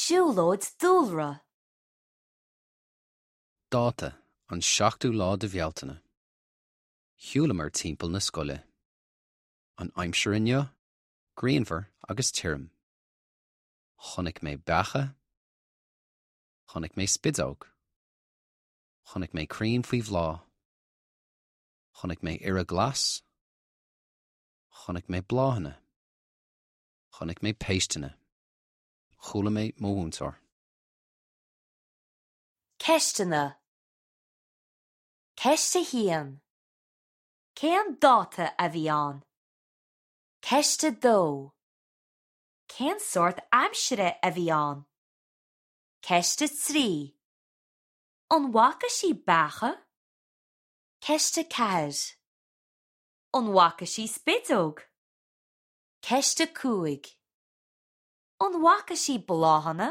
Siúlóid dúlra. Dáta, An seachtú lá de Bhealtaine. Shiúlamar timpeall na scoile. An aimsir inniu, grianmhar agus tirim. Chonaic mé beacha. Chonaic mé spideog. Chonaic mé crainn faoi bhláth. Chonaic mé iora glas. Chonaic mé bláthanna. Chonaic mé péisteanna. Chuala mé mo mhúinteoir. Ceisteanna Ceist 1. Cén dáta a bhí ann? Ceist 2. Cén sórt aimsire a bhí ann? Ceist 3. An bhfaca sí beacha? Ceist 4. An bhfaca sí spideog? Ceist 5. An bhfaca sí bláthanna?